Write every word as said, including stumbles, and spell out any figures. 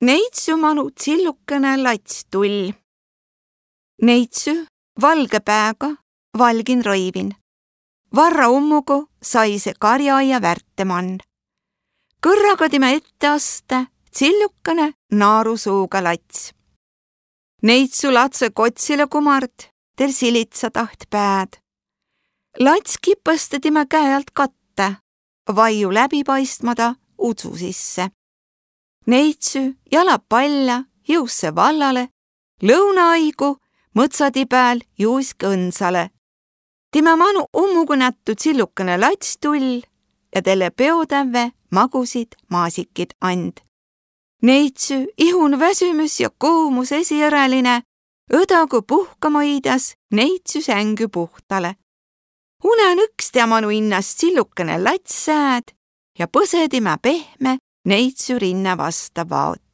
Neitsü manu tsillukene lats tull. Neitsü valge pääga, valgin rõivin. Varra ummugu saise karjaaia värte man. Kõrraga timä ette aste tsillukene naarusuuga lats. Neitsü latse kotsile kumart, del silitsadaht pääd. Lats kipeste timä käe alt katte, vaiu läbipaistmada udsu sisse. Neitsü jala pallja jõusse vallale, lõunaaigu mõtsadii pääl juis gõnsale. Timä manu ummugu nättu tsillukene lats tull ja dele peodävve magusid maasikid and. Neitsü ihun väsümüs ja kuumus esieräline, õdagu puhkamõidas neitsü sängü puhtale. Unen õks tea manu innast tsillukene lats sääd ja põse timä pehme neitsü rinna vasta vaot.